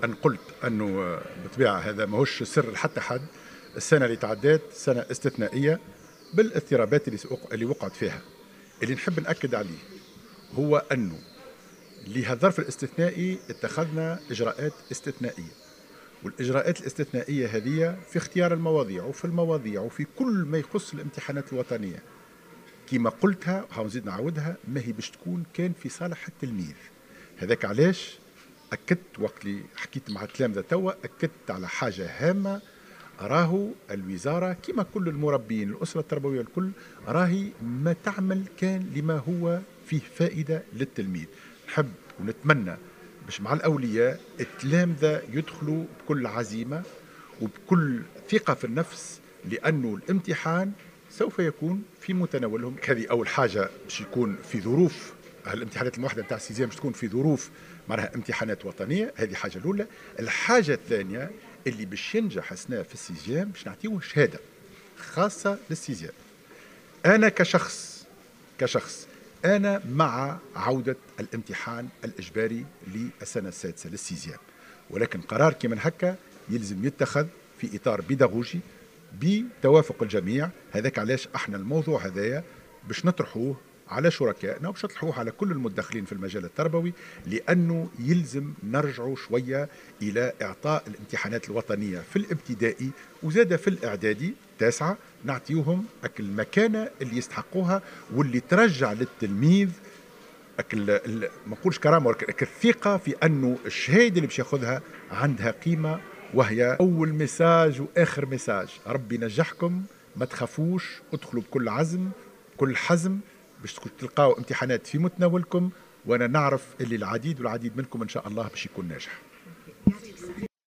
أن قلت أنه بالطبيعة هذا ماهوش سر لحتى حد، السنة اللي تعدات سنة استثنائية بالاضطرابات اللي وقعت فيها. اللي نحب نأكد عليه هو أنه لهذا الظرف الاستثنائي اتخذنا إجراءات استثنائية، والإجراءات الاستثنائية هذه في اختيار المواضيع وفي المواضيع وفي كل ما يخص الامتحانات الوطنية كما قلتها وحنزيد نعاودها، ما هي باش تكون كان في صالح التلميذ. هذاك علاش أكدت وقت اللي حكيت مع التلامذة توا، أكدت على حاجة هامة، راهو الوزارة كما كل المربين الأسرة التربوية الكل راهي ما تعمل كان لما هو فيه فائدة للتلميذ. نحب ونتمنى باش مع الأولياء التلامذة يدخلوا بكل عزيمة وبكل ثقة في النفس، لأنه الامتحان سوف يكون في متناولهم. هذه أول حاجة، باش يكون في ظروف الامتحانات الموحدة نتاع ال sixième باش تكون في ظروف معناها امتحانات وطنية، هذه حاجة الأولى. الحاجة الثانية اللي باش ينجح سنة في ال sixième باش نعطيوه شهادة خاصة لل sixième. أنا كشخص أنا مع عودة الامتحان الإجباري للسنة السادسة لل sixième، ولكن قرار كيما هكا يلزم يتخذ في إطار بيداغوجي بتوافق الجميع. هذاك علاش احنا الموضوع هذايا باش نطرحوه على شركائنا وباش نطرحوه على كل المتدخلين في المجال التربوي، لأنه يلزم نرجعوا شوية إلى إعطاء الامتحانات الوطنية في الابتدائي وزاد في الإعدادي تاسعة، نعطيوهم المكانة اللي يستحقوها واللي ترجع للتلميذ ما نقولش كرامة ولكن الثقة في أنه الشهادة اللي باش ياخذها عندها قيمة. وهي أول message وآخر message، ربي نجحكم، ما تخافوش، ادخلوا بكل عزم بكل حزم باش تلقاو امتحانات في متناولكم، وانا نعرف اللي العديد والعديد منكم ان شاء الله باش يكون ناجح.